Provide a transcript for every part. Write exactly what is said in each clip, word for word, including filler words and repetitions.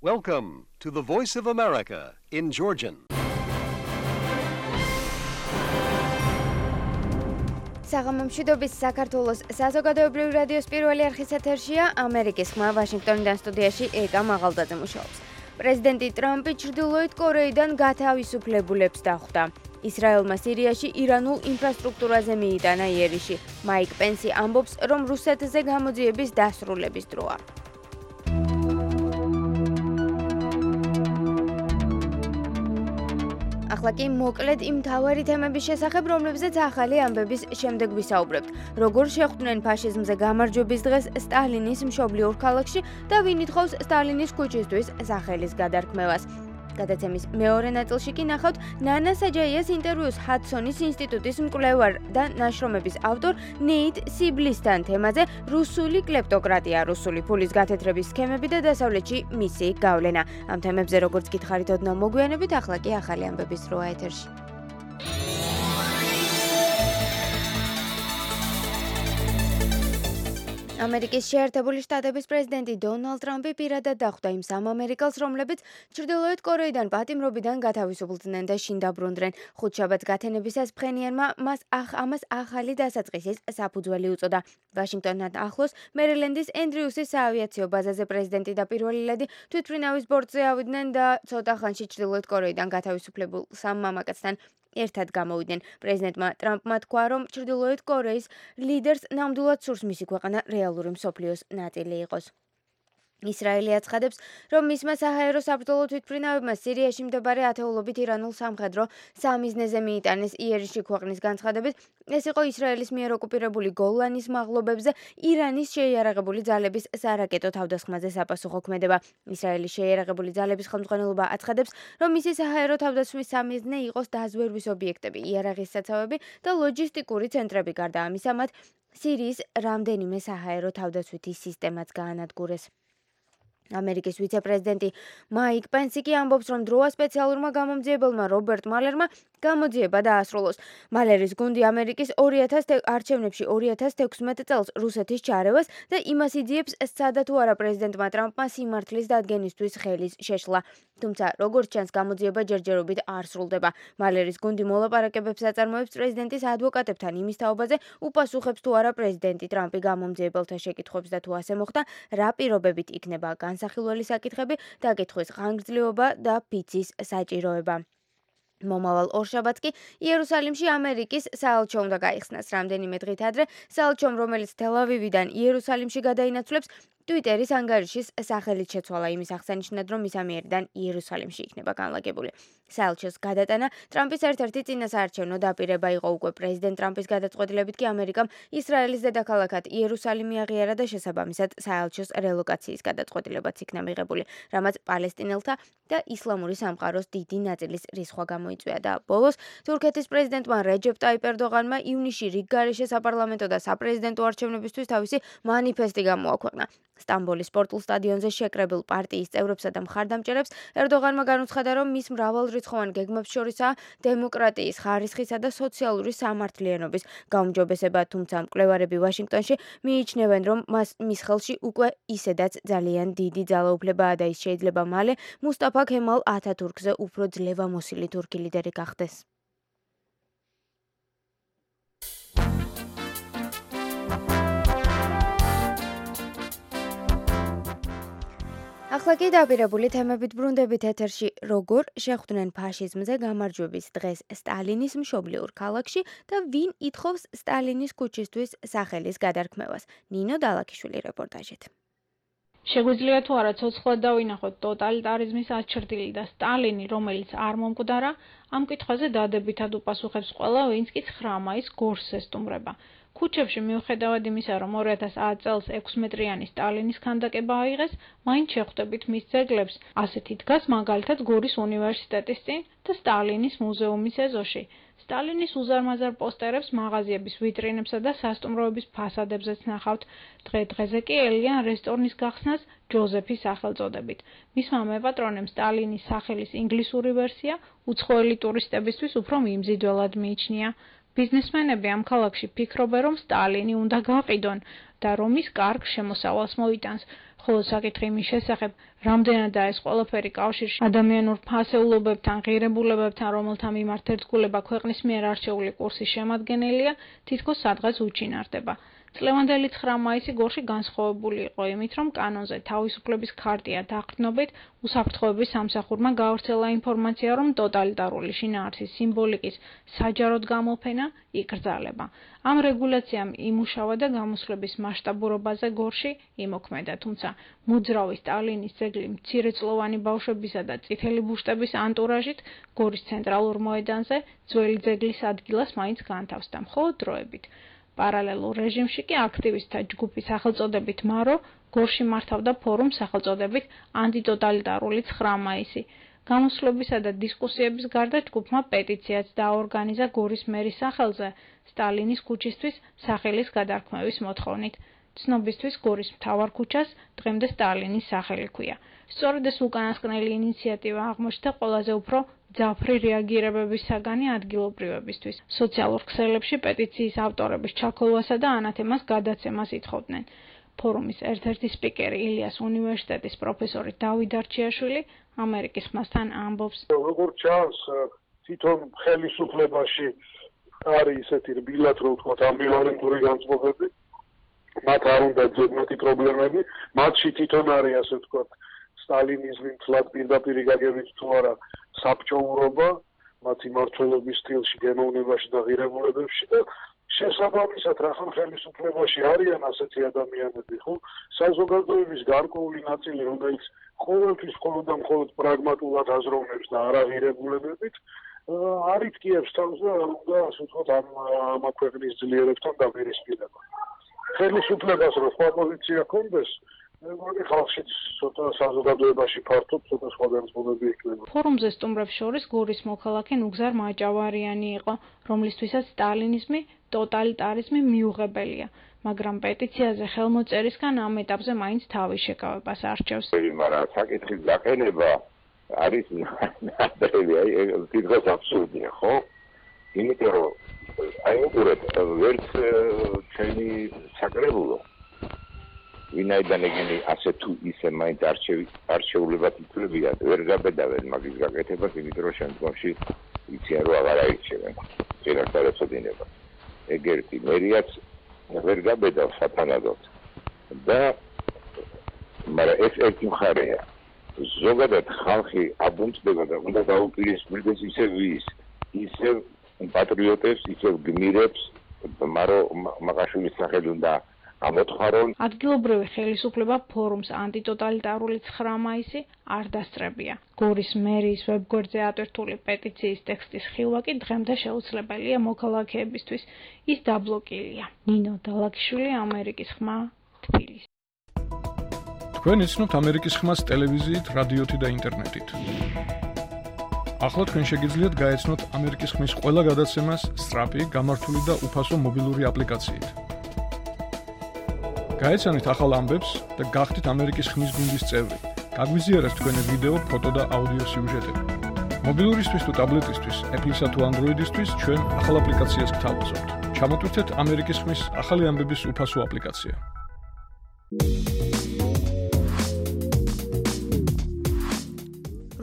Welcome to the Voice of America in Georgian. საღამომშვიდობის საქართველოს საზოგადოებრივი რადიოს პირველი არხის ეთერშია ამერიკის ხმა ვაშინგტონიდან სტუდიაში ეკა მაღალდაძე მუშაობს. პრეზიდენტი ტრამპი ჩრდილოეთ კორეიდან გათავისუფლებულებს დახვდა. ისრაელმა სირიაში ირანულ ინფრასტრუქტურაზე მიიტანა იერიში. მაიკ პენსი ამბობს, რომ რუსეთზე გამოძიების დასრულების დროა. ახლა კი მოკლედ იმ მთავარი თემების შესახებ, რომლებზეც ახალი ამბების შემდეგ ვისაუბრებთ. როგორ შეხვდნენ ფაშიზმზე გამარჯვების დღეს სტალინის მშობლიურ ქალაქში და ვინ ითხოვს სტალინის ქუჩისთვის სახელის გადარქმევას. გადაცემის მეორე ნაწილში კი ნახავთ ნანა საჯაიას ინტერვიუს ჰადსონის ინსტიტუტის მკვლევარ და ნაშრომების ავტორ ნეით სიბლისთან თემაზე რუსული კლეპტოკრატია, რუსული ფულის გათეთრების სქემები და დასავლეთში მისი გავლენა. ამ თემებზე როგორც გითხარით ოდნავ მოგვიანებით, ახლა კი ახალი ამბების დროა ეთერში. ამერიკის შეერთებული შტატების პრეზიდენტი დონალდ ტრამპი პირადად დახვდა იმ სამ ამერიკელს, რომლებიც ჩრდილოეთ კორეიდან პატიმრობიდან გათავისუფლდნენ და შინ დაბრუნდნენ. ხუთშაბათს გათენებისას ფხენიანმა მას ახ ამას ახალი დასაწყისის საფუძველი უწოდა. ვაშინგტონთან ახლოს მერილენდის ენდრიუსის საავიაციო ბაზაზე პრეზიდენტი და პირველი ლედი თვითმფრინავის ბორტზე ავიდნენ და ცოტა ხანში ჩრდილოეთ კორეიდან გათავისუფლებულ სამ მამაკაცთან ერთად გამოვიდნენ. პრეზიდენტმა ტრამპმა თქვა, რომ ჩრდილოეთ კორეის ლიდერს ნამდვილად სურს მისი ქვეყანა რეალური მსოფლიოს ნაწილი იყოს. ისრაელი აცხადებს, რომ მისმა საჰაერო საბრძოლო თვითმფრინავებმა სირიაში მდებარე ათეულობით ირანულ სამხედრო სამიზნეზე მიიტანეს იერიში. ქვეყნის განცხადებით, ეს იყო ისრაელის მიერ ოკუპირებული გოლანის მაღლობებზე ირანის შეიარაღებული ძალების სარაკეტო თავდასხმაზე საპასუხო ქმედება. ისრაელის შეიარაღებული ძალების ხელმძღვანელობა აცხადებს, რომ მისი საჰაერო თავდასხმის სამიზნე იყოს დაზვერვის ობიექტები, იარაღის საცავები და ლოჯისტიკური ცენტრები. გარდა ამისა, მათ სირიის რამდენიმე საჰაერო თავდაცვითი სისტემაც გაანადგურეს. ამერიკის ვიცე-პრეზიდენტი მაიკ პენსი კი ამბობს, რომ დროა სპეციალურმა გამომძიებელმა რობერტ მალერმა გამოძიება დაასრულოს. მალერის გუნდი ამერიკის ორი ათას არჩევნებში ორი ათას თექვსმეტ წელს რუსეთის ჩარევას და იმას იძიებს, სცადა თუ არა პრეზიდენტმა ტრამპმა სიმართლის დადგენისთვის ხელის შეშლა. თუმცა, როგორც ჩანს, გამოძიება ჯერჯერობით არ სრულდება. მალერის გუნდი მოლაპარაკებებს აწარმოებს პრეზიდენტის ადვოკატებთან იმის თაობაზე, უპასუხებს თუ არა პრეზიდენტი ტრამპი გამომძიებელთა შეკითხვებს და თუ ასე მოხდა, რა პირობებით იქნება განსახილველი საკითხები, დაკითხვის ხანგრძლივობა და ფიცის საჭიროება. მომავალ ორშაბათს კი იერუსალიმში ამერიკის საელჩო უნდა გაიხსნას. რამდენიმე დღით ადრე საელჩომ, რომელიც თელ-ავივიდან იერუსალიმში გადაინაცვლებს, ტვიტერის ანგარიშის სახელით შეცვალა. იმის აღსანიშნად, რომ მის ამიერიდან იერუსალიმში იქნება განლაგებული. საელჩოს გადატანა ტრამპის ერთ-ერთი წინასაარჩევნო დაპირება იყო. უკვე პრეზიდენტ ტრამპის გადაწყვეტილებით კი ამერიკამ ისრაელის დედაქალაქად იერუსალიმი აღიარა და შესაბამისად საელჩოს რელოკაციის გადაწყვეტილებაც იქნა მიღებული, რამაც პალესტინელთა და ისლამური სამყაროს დიდი ნაწილის რისხვა გამოიწვია. და ბოლოს თურქეთის პრეზიდენტმა რეჯეპ ტაიპ ერდოღანმა ივნისში რიგ გარეშე საპარლამენტო და საპრეზიდენტო არჩევნებისთვის თავისი მანიფესტი გამოაქვეყნა. სტამბოლის სპორტულ სტადიონზე შეკრებილ პარტიის წევრებსა და მხარდამჭერებს ერდოღანმა განუცხადა, რომ მის მრავალრიცხოვან გეგმებს შორისაა დემოკრატიის, ხარისხისა და სოციალური სამართლიანობის გაუმჯობესება. თუმცა მკვლევარები ვაშინგტონში მიიჩნევენ, რომ მას მის ხელში უკვე ისედაც ძალიან დიდი ძალაუფლებაა და ის შეიძლება მალე მუსტაფა ქემალ ათათურქზე უფრო ძლევამოსილი თურქი ლიდერი გახდეს. ახლა კი დაპირებული თემებით ბრუნდებით ეთერში. როგორ შეხვდნენ ფაშიზმზე გამარჯვების დღეს სტალინის მშობლიურ ქალაქში და ვინ ითხოვს სტალინის ქუჩისთვის სახელის გადარქმევას. ნინო დალაქიშვილი რეპორტაჟით. შეგვიძლია თუ არა ცოცხლად დავინახოთ ტოტალიტარიზმის აჩრდილი და სტალინი, რომელიც არ მომკვდარა, ამ კითხვაზე დადებითად უპასუხებს ყველა, ვინც კი ცხრა მაისს გორს ესტუმრება. ქუჩებში მიუხედავად იმისა, რომ ორი ათას ათი წელს ექვსმეტრიანი სტალინის ქანდაკება აიღეს, მაინც შეხვდებით მის ძეგლებს. ასეთი დგას მაგალითად გორის უნივერსიტეტის წინ და სტალინის მუზეუმის ეზოში. სტალინის უზარმაზარ პოსტერებს მაღაზიების ვიტრინებსა და სასტუმროების ფასადებზეც ნახავთ. დღე-დღეზე კი ელიან რესტორნის გახსნას ჯოზეფის სახელწოდებით. მისმა მეპატრონემ სტალინის სახელის ინგლისური ვერსია უცხოელი ტურისტებისთვის უფრო მიმზიდველად მიიჩნია. ბიზნესმენები ამ ქალაქში ფიქრობენ, რომ სტალინი უნდა გაყიდონ და რომ ის კარგ შემოსავალს მოიტანს. ხოლო საკითხი იმის შესახებ, რამდენადაა ეს ყველაფერი კავშირში ადამიანურ ფასეულობებთან, ღირებულებებთან, რომელთა მიმართ ერთგულება ქვეყნის მიერ არჩეული კურსის შემადგენელია, თითქოს სადღაც უჩინარდება. წლევანდელი ცხრა მაისი გორში განსხვავებული იყო იმით, რომ კანონზე თავისუფლების ქარტია დაყრდნობით უსაფრთხოების სამსახურმა გაავრცელა ინფორმაცია, რომ ტოტალიტარული შინაარსის სიმბოლიკის საჯაროდ გამოფენა იკრძალება. ამ რეგულაციამ იმუშავა და გამოსვლების მასშტაბურობაზე გორში იმოქმედა, თუმცა მოძრავი სტალინის ძეგლი მცირეწლოვანი ბავშვებისა და წითელი ბუშტების ანტურაჟით გორის ცენტრალურ მოედანზე ძველი ძეგლის ადგილას მაინც განთავს და მხოლოდ დროებით. პარალელურ რეჟიმში კი აქტივისტთა ჯგუფი სახელწოდებით მარო გორში მართავდა ფორუმს სახელწოდებით ანტიტოტალიტარული ცხრა მაისი. გამოსვლებისა და დისკუსიების გარდა ჯგუფმა პეტიციაც დააორგანიზა გორის მერის სახელზე სტალინის ქუჩისთვის სახელის გადარქმევის მოთხოვნით. ცნობისთვის გორის მთავარ ქუჩას დღემდე სტალინის სახელი ჰქვია. სწორედ ეს უკანასკნელი ინიციატივა აღმოჩნდა ყველაზე უფრო ძაფრი რეაგირებების საგანი ადგილობრივებისთვის. სოციალურ ქსელებში პეტიციის ავტორების ჩაქოლვასა და ანათემას გადაცემას ითხოვდნენ. ფორუმის ერთ-ერთი სპიკერი ილიას უნივერსიტეტის პროფესორი დავით არჩიაშვილი ამერიკის ხმასთან ამბობს. როგორც ჩანს, თვითონ ხელისუფლებაში არის ისეთი რბილად, რომ ვთქვათ, ამბივალენტური განწყობები, მათ არ უნდა ძებნათი პრობლემები, მათში თვითონ არის ასე ვთქვათ, სტალინიზმი მთლად პირდაპირ გაგებით თუ არა საბჭოურობა, მათი მმართველობის სტილში, გენოვნებაში და ღირებულებებში და შესაბამისად რახან ხელისუფლებაში არიან ასეთი ადამიანები, ხო? საზოგადოების გარკვეული ნაწილი, რომელიც ყოველთვის მხოლოდ და მხოლოდ პრაგმატულად აზროვნებს და არა ღირებულებებით, არიტკიებს თავს და უნდა ასე ვთქვათ ამ ამ ქვეყნის ძლიერებთან დაპირისპირება. ხელისუფლებას რო სხვა პოზიცია ჰქონდეს, მეგონი ხალხშიც ცოტა საზოგადოებაში ფართოდ ცოტა სხვა განწყობები იქნება. ფორუმზე სტუმრებს შორის გორის მოქალაქე ნუგზარ მაჭავარიანი იყო, რომლისთვისაც სტალინიზმი, ტოტალიტარიზმი მიუღებელია, მაგრამ პეტიციაზე ხელმოწერისგან ამ ეტაპზე მაინც თავის შეკავებას არჩევს. მაგრამ საკითხის გაყენება არის ნადრევი, აი თითქოს აბსურდია, ხო? იმიტომ რომ აი უყურეთ, ვერც ჩვენი საკრებულო ვინაიდან ეგენი ასე თუ ისე მაინც არჩეულებად ითვლებიან, ვერ გაბედავენ მაგის გაკეთებას, იმიტომ რომ შემდგომში იციან რომ აღარ აირჩევენ წინასწარ ეწოდინება. ეგ ერთი მერიაც ვერ გაბედავს სათანადოდ და მაგრამ ეს ერთი მხარეა. ზოგადად ხალხი აბუნწდება და უნდა დაუპირისპირდეს ისევ ვის, ისევ პატრიოტებს, ისევ გმირებს, მარო მაღაშვილის სახელი უნდა ამოთხარონ. ადგილობრივი ხელისუფლება ფორუმს ანტიტოტალიტარული ცხრა მაისი არ დასწრებია. გორის მერიის ვებგვერდზე ატვირთული პეტიციის ტექსტის ხილვა კი დღემდე შეუძლებელია მოქალაქეებისთვის. ის დაბლოკილია. ნინო დალაკიშვილი, ამერიკის ხმა, თბილისი. თქვენ იცნობთ ამერიკის ხმას ტელევიზიით, რადიოთი და ინტერნეტით. ახლა თქვენ შეგიძლიათ გაეცნოთ ამერიკის ხმის ყველა გადაცემას სწრაფი, გამართული და უფასო მობილური აპლიკაციით. გაეცანით ახალ ამბებს და გახდით ამერიკის ხმის გუნდის წევრი. გაგვიზიარეთ თქვენი ვიდეო, ფოტო და აუდიო სიუჟეტები. მობილურისთვის თუ ტაბლეტისთვის, Apple-ისა თუ Android-ისთვის ჩვენ ახალ აპლიკაციას გთავაზობთ. ჩამოტვირთეთ ამერიკის ხმის ახალი ამბების უფასო აპლიკაცია.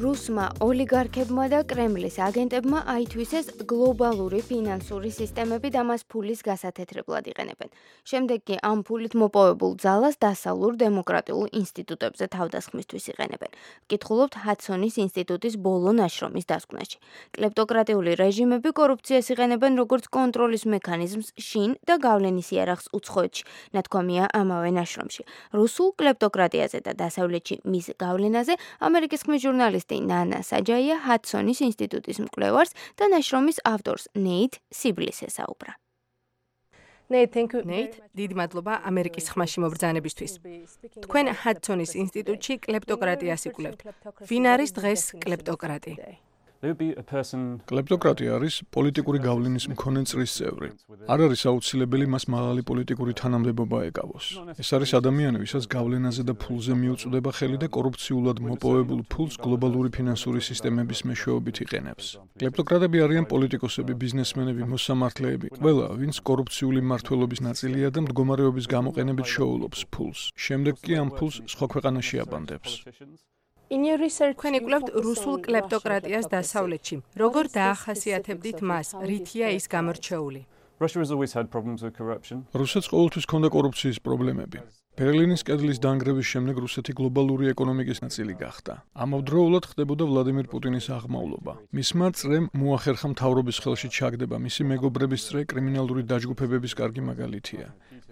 რუსმა ოლიგარქებმა და კრემლის აგენტებმა აითვისეს გლობალური ფინანსური სისტემები და მას ფულის გასათეთრებლად იყენებენ. შემდეგ კი ამ ფულით მოპოვებულ ძალას დასავლურ დემოკრატიულ ინსტიტუტებზე თავდასხმისთვის იყენებენ. ვკითხულობთ ჰადსონის ინსტიტუტის ბოლო ნაშრომის დასკვნაში. კლეპტოკრატიული რეჟიმები კორუფციას იყენებენ როგორც კონტროლის მექანიზმს შინ და გავლენის იარაღს უცხოეთში, ნათქვამია ამავე ნაშრომში. რუსულ კლეპტოკრატიაზე და დასავლეთში მის გავლენაზე ამერიკის ხმის ჟურნალისტი ნანა საჯაია ჰადსონის ინსტიტუტის მკვლევარს და ნაშრომის ავტორს ნეით სიბლის ესაუბრა. ნეით, დიდი მადლობა ამერიკის ხმაში მობრძანებისთვის. თქვენ ჰადსონის ინსტიტუტში კლეპტოკრატიას იკვლევთ. ვინ არის დღეს კლეპტოკრატი? კლეპტოკრატია არის პოლიტიკური გავლენის მქონე წრის წევრი. არ არის აუცილებელი მას მაღალი პოლიტიკური თანამდებობა ეკავოს. ეს არის ადამიანი, ვისაც გავლენაზე და ფულზე მიუწვდება ხელი და კორუფციულად მოპოვებულ ფულს გლობალური ფინანსური სისტემების მეშვეობით იყენებს. კლეპტოკრატები არიან პოლიტიკოსები, ბიზნესმენები, მოსამართლეები, ყველა, ვინც კორუფციული მმართველობის ნაწილია და მდგომარეობის გამოყენებით შეულობს ფულს. შემდეგ კი ამ ფულს სხვა ქვეყანაში აბანდებს. თქვენ იკვლევთ რუსულ კლეპტოკრატიას დასავლეთში. როგორ დაახასიათებდით მას? რითია ის გამორჩეული? რუსეთს ყოველთვის ჰქონდა კორუფციის პრობლემები. ბერლინის კედლის დანგრევის შემდეგ რუსეთი გლობალური ეკონომიკის ნაწილი გახდა. ამავდროულად ხდებოდა ვლადიმირ პუტინის აღმავლობა. მისმა წრემ მოახერხა მთავრობის ხელში ჩაგდება, მისი მეგობრების წრე კრიმინალური დაჯგუფებების კარგი მაგალითია.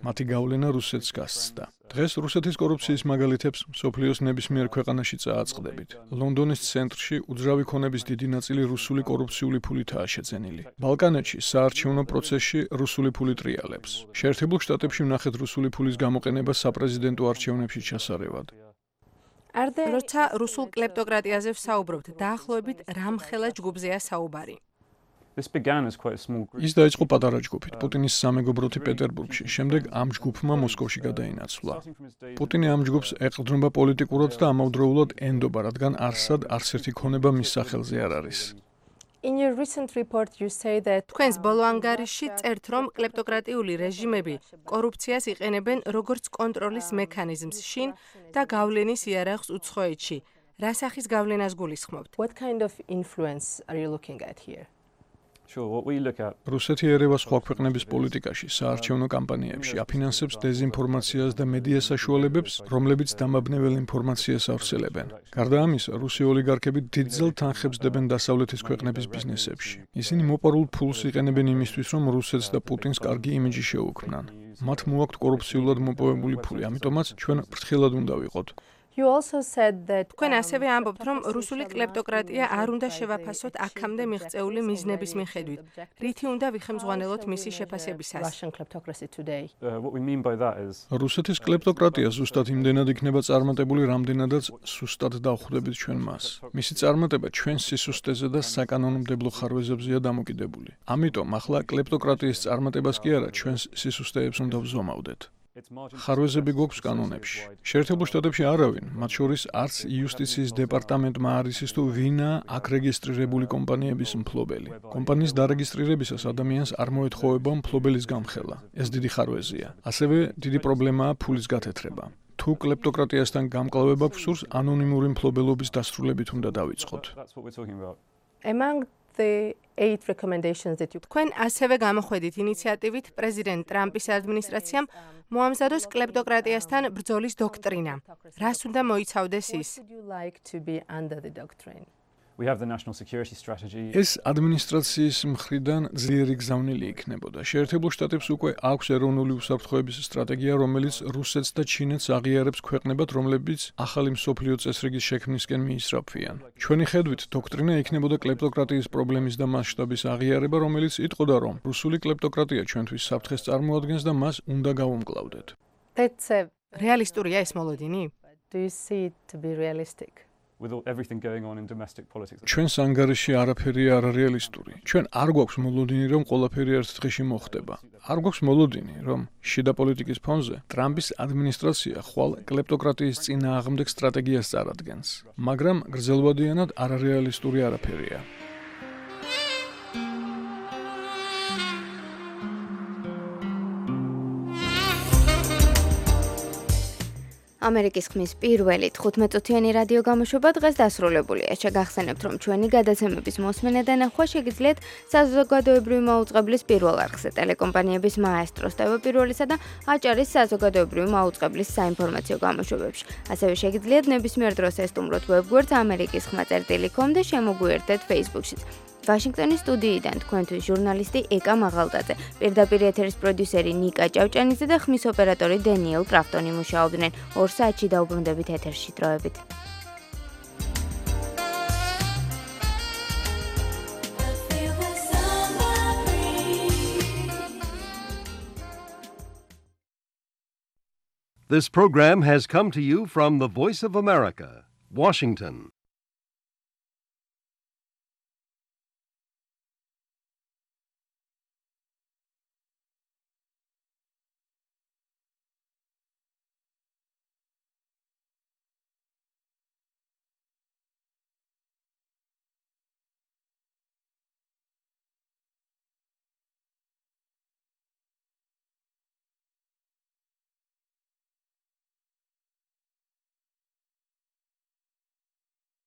მათი გავლენა რუსეთს გასცდა. დღეს რუსეთის კორუფციის მაგალითებს მსოფლიოს ნებისმიერ ქვეყანაში წააწყდებით. ლონდონის ცენტრში უძრავი ქონების დიდი ნაწილი რუსული კორუფციული ფულითაა შეძენილი. ბალკანეთში საარჩევნო პროცესში რუსული ფული ტრიალებს. შეერთებულ შტატებში ვნახეთ რუსული ფულის გამოყენება საპრეზიდენტო არჩევნებში ჩასარევად. როცა რუსულ კლეპტოკრატიაზე ვსაუბრობთ, დაახლოებით რამხელა ჯგუფზეა საუბარი? ის დაიწყო პატარა ჯგუფით, პუტინის სამეგობროთი პეტერბურგში, შემდეგ ამ ჯგუფმა მოსკოვში გადაინაცვლა. პუტინი ამ ჯგუფს ეყრდნობა პოლიტიკურად და ამავდროულად ენდობა, რადგან არსად არც ერთი ქონება მის სახელზე არ არის. თქვენს ბოლო ანგარიშში წერთ, რომ კლეპტოკრატიული რეჟიმები კორუფციას იყენებენ როგორც კონტროლის მექანიზმს შინ და გავლენის იარაღს უცხოეთში. რა სახის გავლენას გულისხმობთ? რუსეთი ერევა სხვა ქვეყნების პოლიტიკაში, საარჩევნო კამპანიებში, აფინანსებს დეზინფორმაციას და მედია საშუალებებს, რომლებიც დამაბნეველ ინფორმაციას ავრცელებენ. გარდა ამისა, რუსი ოლიგარქები დიდძალ თანხებს დებენ დასავლეთის ქვეყნების ბიზნესებში. ისინი მოპარულ ფულს იყენებენ იმისთვის, რომ რუსეთს და პუტინს კარგი იმიჯი შეუქმნან. მათ მოაქვთ კორუფციულად მოპოვებული ფული, ამიტომაც ჩვენ ფრთხილად უნდა ვიყოთ. თქვენ ასევე ამბობთ, რომ რუსული კლეპტოკრატია არ უნდა შევაფასოთ აქამდე მიღწეული მიზნების მიხედვით. რითი უნდა ვიხემძღვანელოთ მისი შეფასებისას? რუსეთის კლეპტოკრატია ზუსტად იმდენად იქნება წარმატებული, რამდენადაც სუსტად დავხვდებით ჩვენ მას. მისი წარმატება ჩვენს სისუსტეზე და საკანონმდებლო ხარვეზებზეა დამოკიდებული. ამიტომ ახლა კლეპტოკრატიის წარმატებას კი არა, ჩვენს სისუსტეებს უნდა ვზომავდეთ. ხარვეზები გვაქვს კანონებში. შეერთებულ შტატებში არავინ, მათ შორის არც იუსტიციის დეპარტამენტმა არ იცის თუ ვინაა აქ რეგისტრირებული კომპანიების მფლობელი. კომპანიის დარეგისტრირებისას ადამიანს არ მოეთხოვება მფლობელის გამხელა. ეს დიდი ხარვეზია. ასევე დიდი პრობლემაა ფულის გათეთრება. თუ კლეპტოკრატიასთან გამკლავება გსურს, ანონიმური მფლობელობის დასრულებით უნდა დავიწყოთ. თქვენ ასევე გამოხვედით ინიციატივით პრეზიდენტ ტრამპის ადმინისტრაციამ მოამზადოს კლეპტოკრატიასთან ბრძოლის დოქტრინა. რას უნდა მოიცავდეს ის? ეს ადმინისტრაციის მხრიდან ძლიერი გზავნილი იქნებოდა. შეერთებულ შტატებს უკვე აქვს ეროვნული უსაფრთხოების სტრატეგია, რომელიც რუსეთს და ჩინეთს აღიარებს ქვეყნებად, რომლებიც ახალი მსოფლიო წესრიგის შექმნისკენ მიისწრაფვიან. ჩვენი ხედვით, დოქტრინა იქნებოდა კლეპტოკრატიის პრობლემის და მასშტაბის აღიარება, რომელიც იტყოდა, რომ რუსული კლეპტოკრატია ჩვენთვის საფრთხეს წარმოადგენს და მას უნდა გავუმკლავდეთ. რეალისტურია ეს მოლოდინი? ჩვენს ანგარიში არაფერია არარეალისტური. ჩვენ არ გვაქვს მოლოდინი, რომ ყველაფერი ერთ დღეში მოხდება. არ გვაქვს მოლოდინი, რომ შიდა პოლიტიკის ფონზე ტრამპის ადმინისტრაცია ხვალ კლეპტოკრატიის წინააღმდეგ სტრატეგიას წარადგენს. მაგრამ გრძელვადიანად არარეალისტური არაფერია. ამერიკის ხმის პირველი თხუთმეტ-წუთიანი რადიო გამოშვება დღეს დასრულებულია. შეგახსენებთ, რომ ჩვენი გადაცემების მოსმენა და ნახვა შეგიძლიათ საზოგადოებრივი მაუწყებლის პირველ არხზე, ტელეკომპანიების მაესტროს ტევ პირველისა და აჭარის საზოგადოებრივი მაუწყებლის საინფორმაციო გამოშვებებში. ასევე შეგიძლიათ ნებისმიერ დროს ესტუმროთ ვებგვერდს ამერიკის ხმა წერტილი კომ და შემოგვიერთდეთ Facebook-შიც. ვაშინგტონის სტუდიიდან თქვენთვის ჟურნალისტი ეკა მაღალდაძე, პირდაპირ ეთერის პროდიუსერი ნიკა ჭავჭანიძე და ხმის ოპერატორი დენიელ კრაფტონი მუშაობდნენ. ორ საათში დაუბრუნდებით ეთერში დროებით. This program has come to you from the Voice of America, Washington.